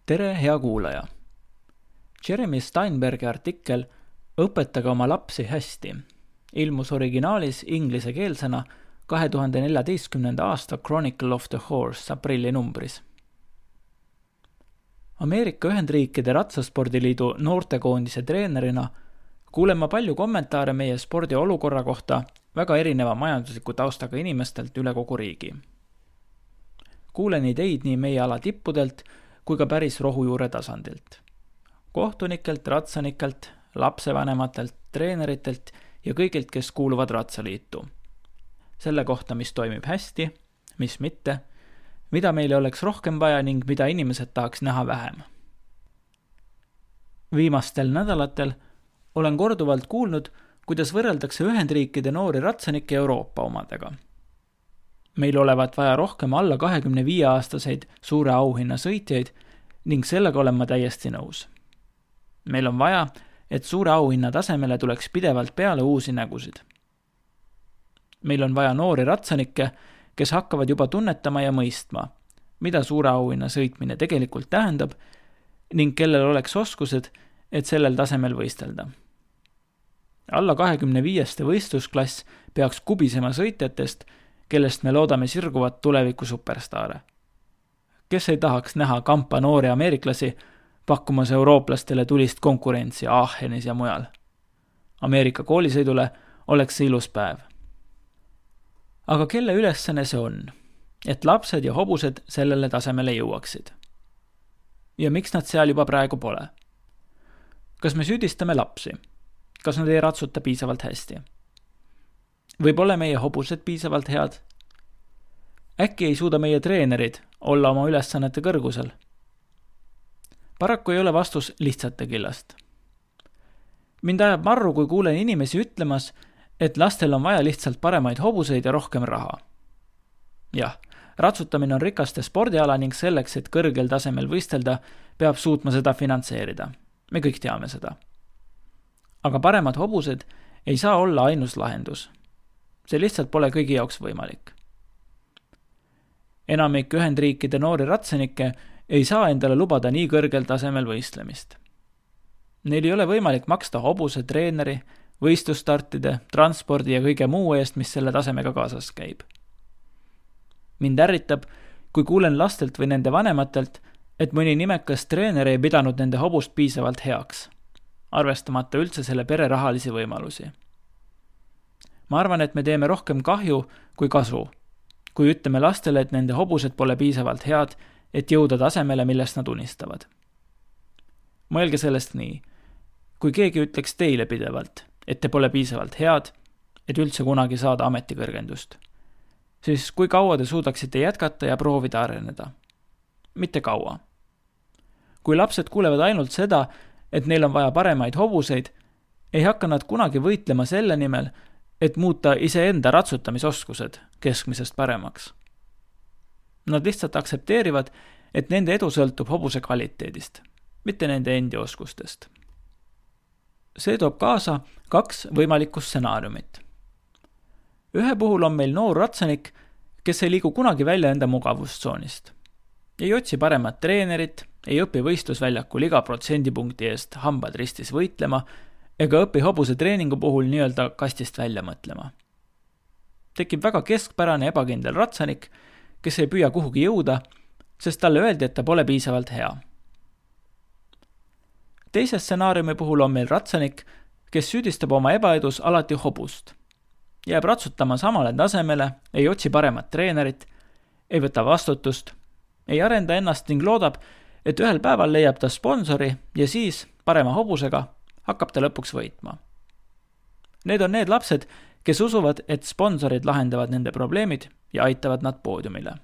Tere, hea kuulaja! Jeremy Steinbergi artikkel "Õpetage oma lapsi hästi" ilmus originaalis inglisekeelsena 2014. aasta Chronicle of the Horse aprilli numbris. Ameerika Ühendriikide Ratsaspordiliidu noortekoondise treenerina kuulen ma palju kommentaare meie spordi olukorra kohta väga erineva majandusliku taustaga inimestelt üle kogu riigi. Kuulen ideid nii meie ala tippudelt kui ka päris rohujuure tasandilt. Kohtunikelt, ratsanikelt, lapsevanematelt, treeneritelt ja kõigilt, kes kuuluvad Ratsaliitu. Selle kohta, mis toimib hästi, mis mitte, mida meile oleks rohkem vaja ning mida inimesed tahaks näha vähem. Viimastel nädalatel olen korduvalt kuulnud, kuidas võrreldakse Ühendriikide noori ratsanikke Euroopa omadega. Meil olevat vaja rohkem alla 25-aastaseid suure auhinna sõitjaid ning sellega olen ma täiesti nõus. Meil on vaja, et suure auhinna tasemele tuleks pidevalt peale uusi nägusid. Meil on vaja noori ratsanikke, kes hakkavad juba tunnetama ja mõistma, mida suure auhinna sõitmine tegelikult tähendab ning kellel oleks oskused, et sellel tasemel võistelda. Alla 25. võistlusklass peaks kubisema sõitjatest, kellest me loodame sirguvat tuleviku superstaare. Kes ei tahaks näha kampa noori ameeriklasi pakkumas eurooplastele tulist konkurentsi Aachenis ja mujal. Ameerika koolisõidule oleks see ilus päev. Aga kelle ülesanne see on, et lapsed ja hobused sellele tasemele jõuaksid? Ja miks nad seal juba praegu pole? Kas me süüdistame lapsi? Kas nad ei ratsuta piisavalt hästi? Või pole meie hobused piisavalt head? Äkki ei suuda meie treenerid olla oma ülesannete kõrgusel? Paraku ei ole vastus lihtsate killast. Mind ajab marru, kui kuulen inimesi ütlemas, et lastel on vaja lihtsalt paremaid hobuseid ja rohkem raha. Jah, ratsutamine on rikaste spordiala ning selleks, et kõrgel tasemel võistelda, peab suutma seda finantseerida. Me kõik teame seda. Aga paremad hobused ei saa olla ainus lahendus. See lihtsalt pole kõigi jaoks võimalik. Enamik Ühendriikide noori ratsanikke ei saa endale lubada nii kõrgel tasemel võistlemist. Neil ei ole võimalik maksta hobuse, treeneri, võistlusstartide, transpordi ja kõige muu eest, mis selle tasemega kaasas käib. Mind ärritab, kui kuulen lastelt või nende vanematelt, et mõni nimekas treener ei pidanud nende hobust piisavalt heaks, arvestamata üldse selle pere rahalisi võimalusi. Ma arvan, et me teeme rohkem kahju kui kasu, kui ütleme lastele, et nende hobused pole piisavalt head, et jõuda tasemele, millest nad unistavad. Mõelge sellest nii, kui keegi ütleks teile pidevalt, et te pole piisavalt head, et üldse kunagi saada ametikõrgendust, siis kui kaua te suudaksite jätkata ja proovida areneda? Mitte kaua. Kui lapsed kuulevad ainult seda, et neil on vaja paremaid hobuseid, ei hakka nad kunagi võitlema selle nimel, et muuta iseenda ratsutamisoskused keskmisest paremaks. Nad lihtsalt aksepteerivad, et nende edu sõltub hobuse kvaliteedist, mitte nende endi oskustest. See toob kaasa 2 võimalikku stsenaariumit. Ühe puhul on meil noor ratsanik, kes ei liigu kunagi välja enda mugavustsoonist. Ei otsi paremat treenerit, ei õpi võistlusväljakul iga protsendipunkti eest hambad ristis võitlema ega õpi hobuse treeningu puhul nii-öelda kastist välja mõtlema. Tekib väga keskpärane ebakindel ratsanik, kes ei püüa kuhugi jõuda, sest talle öeldi, et ta pole piisavalt hea. Teise stsenaariumi puhul on meil ratsanik, kes süüdistab oma ebaedus alati hobust. Jääb ratsutama samale tasemele, ei otsi paremat treenerit, ei võta vastutust, ei arenda ennast ning loodab, et ühel päeval leiab ta sponsori ja siis parema hobusega hakkab ta lõpuks võitma. Need on need lapsed, kes usuvad, et sponsorid lahendavad nende probleemid ja aitavad nad poodiumile.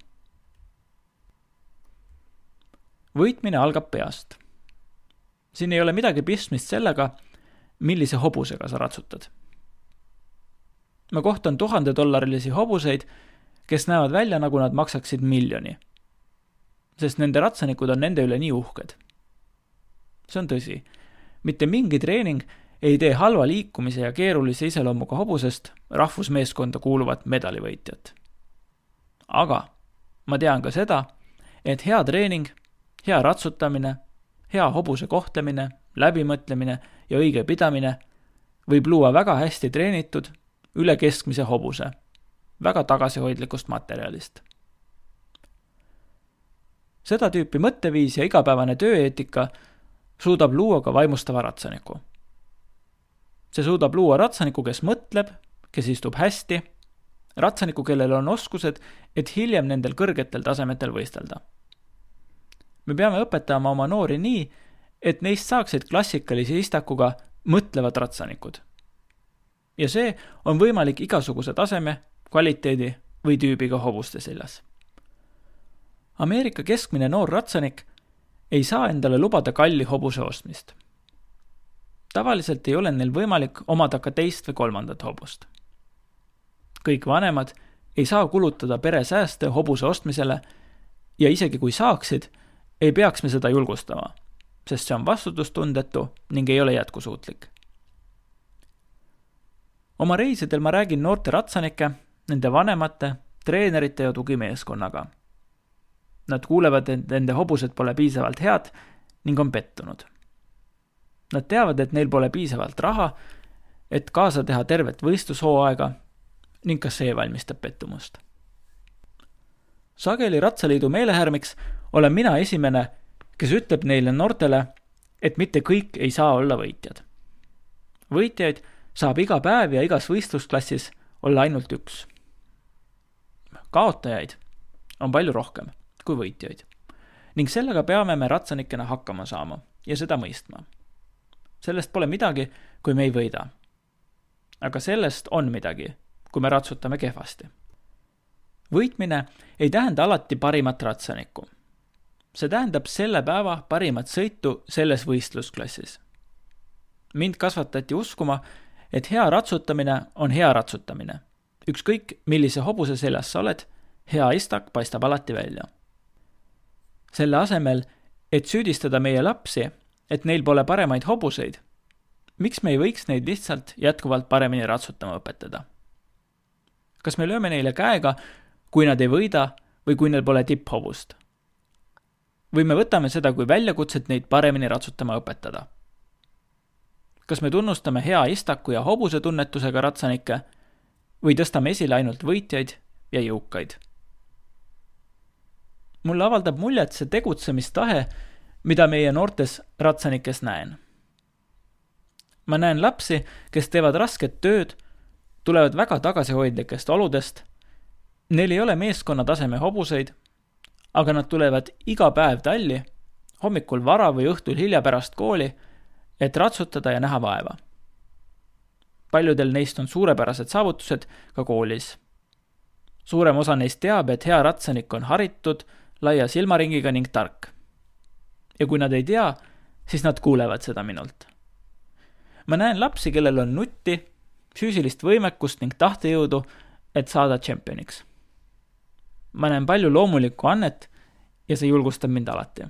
Võitmine algab peast. Siin ei ole midagi pistmist sellega, millise hobusega sa ratsutad. Ma kohtan $1000 hobuseid, kes näevad välja, nagu nad maksaksid miljoni, sest nende ratsanikud on nende üle nii uhked. See on tõsi. Mitte mingi treening ei tee halva liikumise ja keerulise iseloomuga hobusest rahvusmeeskonda kuuluvat medalivõitjat. Aga ma tean ka seda, et hea treening hea ratsutamine, hea hobuse kohtlemine, läbimõtlemine ja õige pidamine võib luua väga hästi treenitud, üle keskmise hobuse, väga tagasihoidlikust materjalist. Seda tüüpi mõtteviis ja igapäevane tööeetika suudab luua ka vaimustava ratsaniku. See suudab luua ratsaniku, kes mõtleb, kes istub hästi, ratsaniku, kellel on oskused, et hiljem nendel kõrgetel tasemetel võistelda. Me peame õpetama oma noori nii, et neist saaksid klassikalise istakuga mõtlevad ratsanikud. Ja see on võimalik igasuguse taseme, kvaliteedi või tüübiga hobuste seljas. Ameerika keskmine noor ratsanik ei saa endale lubada kalli hobuse ostmist. Tavaliselt ei ole neil võimalik omada ka teist või kolmandat hobust. Kõik vanemad ei saa kulutada pere sääste hobuse ostmisele ja isegi kui saaksid, ei peaks me seda julgustama, sest see on vastutustundetu ning ei ole jätkusuutlik. Oma reisidel ma räägin noorte ratsanike, nende vanemate, treenerite ja tugimeeskonnaga. Nad kuulevad, et nende hobused pole piisavalt head ning on pettunud. Nad teavad, et neil pole piisavalt raha, et kaasa teha tervet võistlushooaega ning ka see valmistab pettumust. Sageli Ratsaliidu meelehärmiks olen mina esimene, kes ütleb neile noortele, et mitte kõik ei saa olla võitjad. Võitjaid saab iga päev ja igas võistlusklassis olla ainult üks. Kaotajaid on palju rohkem kui võitjaid ning sellega peame me ratsanikena hakkama saama ja seda mõistma. Sellest pole midagi, kui me ei võida. Aga sellest on midagi, kui me ratsutame kehvasti. Võitmine ei tähenda alati parimat ratsanikku. See tähendab selle päeva parimat sõitu selles võistlusklassis. Mind kasvatati uskuma, et hea ratsutamine on hea ratsutamine. Ükskõik, millise hobuse seljas sa oled, hea istak paistab alati välja. Selle asemel, et süüdistada meie lapsi, et neil pole paremaid hobuseid, miks me ei võiks neid lihtsalt jätkuvalt paremini ratsutama õpetada? Kas me lööme neile käega, kui nad ei võida või kui neil pole tipphobust? Või me võtame seda kui väljakutset neid paremini ratsutama õpetada? Kas me tunnustame hea istaku ja hobuse tunnetusega ratsanikke või tõstame esile ainult võitjaid ja jõukaid? Mulle avaldab muljet see tegutsemistahe, mida meie noortes ratsanikes näen. Ma näen lapsi, kes teevad rasket tööd, tulevad väga tagasihoidlikest oludest, neil ei ole meeskonna taseme hobuseid, aga nad tulevad iga päev talli, hommikul vara või õhtul hilja pärast kooli, et ratsutada ja näha vaeva. Paljudel neist on suurepärased saavutused ka koolis. Suurem osa neist teab, et hea ratsanik on haritud, laia silmaringiga ning tark. Ja kui nad ei tea, siis nad kuulevad seda minult. Ma näen lapsi, kellel on nutti, füüsilist võimekust ning tahtejõudu, et saada tšempioniks. Ma näen palju loomulikku annet ja see julgustab mind alati.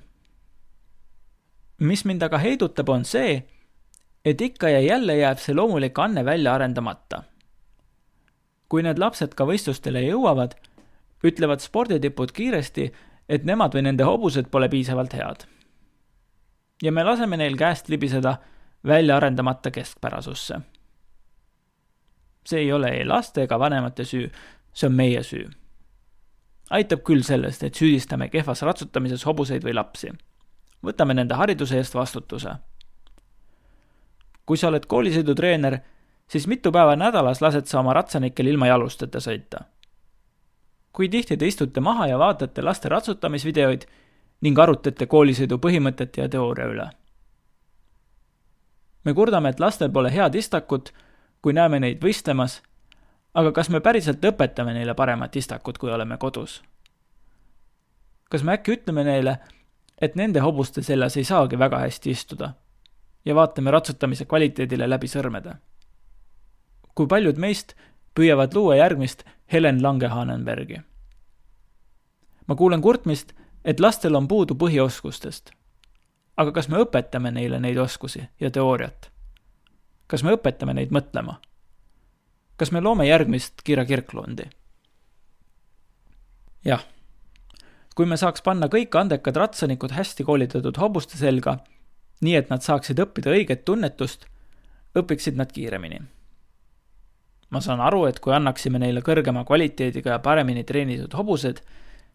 Mis mind aga heidutab on see, et ikka ja jälle jääb see loomulik anne välja arendamata. Kui need lapsed ka võistlustele jõuavad, ütlevad sporditipud kiiresti, et nemad või nende hobused pole piisavalt head. Ja me laseme neil käest libiseda välja arendamata keskpärasusse. See ei ole ei laste ega vanemate süü, see on meie süü. Aitab küll sellest, et süüdistame kehvas ratsutamises hobuseid või lapsi. Võtame nende hariduse eest vastutuse. Kui sa oled koolisõidutreener, siis mitu päeva nädalas lased sa oma ratsanikel ilma jalusteta sõita. Kui tihti te istute maha ja vaatate laste ratsutamisvideoid ning arutate koolisõidu põhimõtete ja teooria üle. Me kurdame, et lastel pole head istakut, kui näeme neid võistlemas, aga kas me päriselt õpetame neile paremat istakut, kui oleme kodus? Kas me äkki ütleme neile, et nende hobuste seljas ei saagi väga hästi istuda ja vaatame ratsutamise kvaliteedile läbi sõrmede? Kui paljud meist püüavad luua järgmist Helen Lange-Hanenbergi? Ma kuulen kurtmist, et lastel on puudu põhioskustest. Aga kas me õpetame neile neid oskusi ja teooriat? Kas me õpetame neid mõtlema? Kas me loome järgmist Kira Kirklundi? Jah. Kui me saaks panna kõik andekad ratsanikud hästi koolitatud hobuste selga, nii et nad saaksid õppida õiget tunnetust, õpiksid nad kiiremini. Ma saan aru, et kui annaksime neile kõrgema kvaliteediga ja paremini treenitud hobused,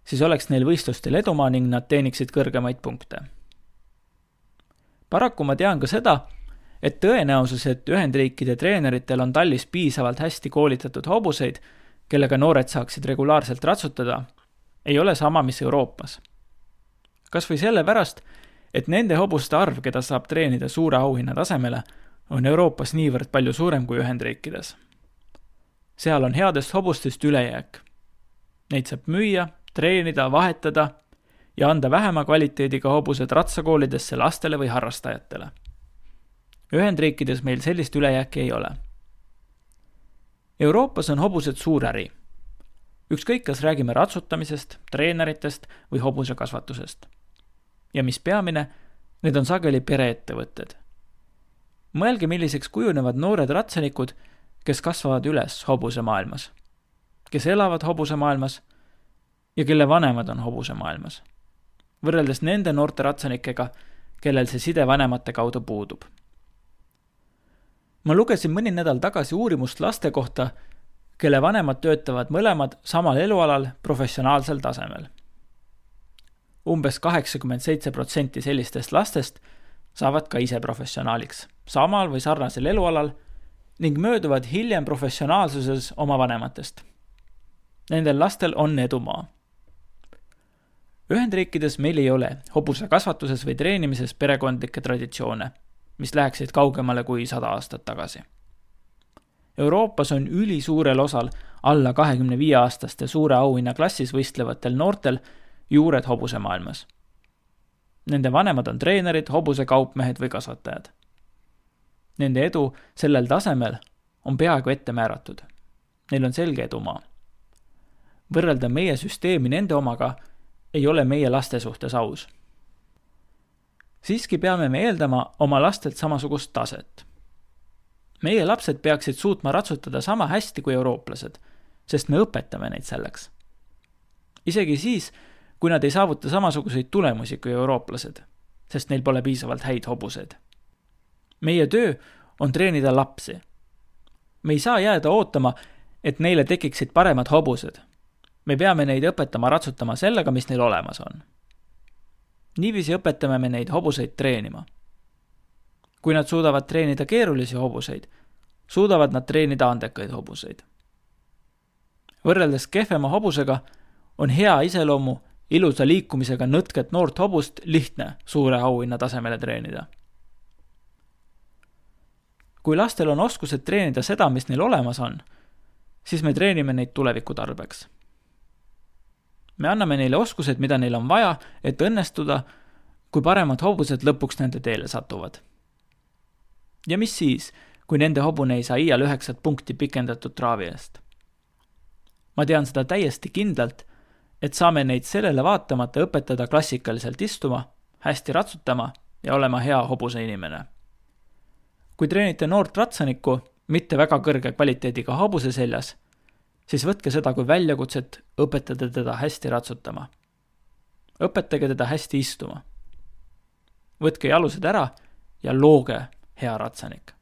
siis oleks neil võistlustel edumaa ning nad teeniksid kõrgemaid punkte. Paraku ma tean ka seda, et tõenäosus, et Ühendriikide treeneritel on tallis piisavalt hästi koolitatud hobuseid, kellega noored saaksid regulaarselt ratsutada, ei ole sama, mis Euroopas. Kas või sellepärast, et nende hobuste arv, keda saab treenida suure auhinna tasemele, on Euroopas niivõrd palju suurem kui Ühendriikides. Seal on headest hobustest ülejääk. Neid saab müüa, treenida, vahetada ja anda vähema kvaliteediga hobused ratsakoolidesse lastele või harrastajatele. Ühendriikides meil sellist ülejääki ei ole. Euroopas on hobused suur äri. Ükskõik, kas räägime ratsutamisest, treeneritest või hobuse kasvatusest. Ja mis peamine, need on sageli pereettevõtted. Mõelge, milliseks kujunevad noored ratsanikud, kes kasvavad üles hobuse maailmas, kes elavad hobuse maailmas ja kelle vanemad on hobuse maailmas, võrreldes nende noorte ratsanikega, kellel see side vanemate kaudu puudub. Ma lugesin mõni nädal tagasi uurimust laste kohta, kelle vanemad töötavad mõlemad samal elualal professionaalsel tasemel. Umbes 87% sellistest lastest saavad ka ise professionaaliks, samal või sarnasel elualal ning mööduvad hiljem professionaalsuses oma vanematest. Nendel lastel on edumaa. Ühendriikides meil ei ole hobuse kasvatuses või treenimises perekondlikke traditsioone, mis läheksid kaugemale kui 100 aastat tagasi. Euroopas on ülisuurel osal alla 25-aastaste suure auhinna klassis võistlevatel noortel juured hobuse maailmas. Nende vanemad on treenerid, hobuse kaupmehed või kasvatajad. Nende edu sellel tasemel on peaaegu ette määratud. Neil on selge edumaa. Võrrelda meie süsteemi nende omaga ei ole meie laste suhtes aus. Siiski peame me eeldama oma lastelt samasugust taset. Meie lapsed peaksid suutma ratsutada sama hästi kui eurooplased, sest me õpetame neid selleks. Isegi siis, kui nad ei saavuta samasuguseid tulemusi kui eurooplased, sest neil pole piisavalt häid hobused. Meie töö on treenida lapsi. Me ei saa jääda ootama, et neile tekiksid paremad hobused. Me peame neid õpetama ratsutama sellega, mis neil olemas on. Niiviisi õpetame me neid hobuseid treenima. Kui nad suudavad treenida keerulisi hobuseid, suudavad nad treenida andekaid hobuseid. Võrreldes kehvema hobusega on hea iseloomu ilusa liikumisega nõtket noort hobust lihtne suure auhinna tasemele treenida. Kui lastel on oskused treenida seda, mis neil olemas on, siis me treenime neid tuleviku tarbeks. Me anname neile oskused, mida neil on vaja, et õnnestuda, kui paremad hobused lõpuks nende teele satuvad. Ja mis siis, kui nende hobune ei saa iial 9 punkti pikendatud traavi eest? Ma tean seda täiesti kindlalt, et saame neid sellele vaatamata õpetada klassikaliselt istuma, hästi ratsutama ja olema hea hobuse inimene. Kui treenite noort ratsanikku, mitte väga kõrge kvaliteediga hobuse seljas, siis võtke seda kui väljakutset õpetada teda hästi ratsutama. Õpetage teda hästi istuma. Võtke jalused ära ja looge hea ratsanik.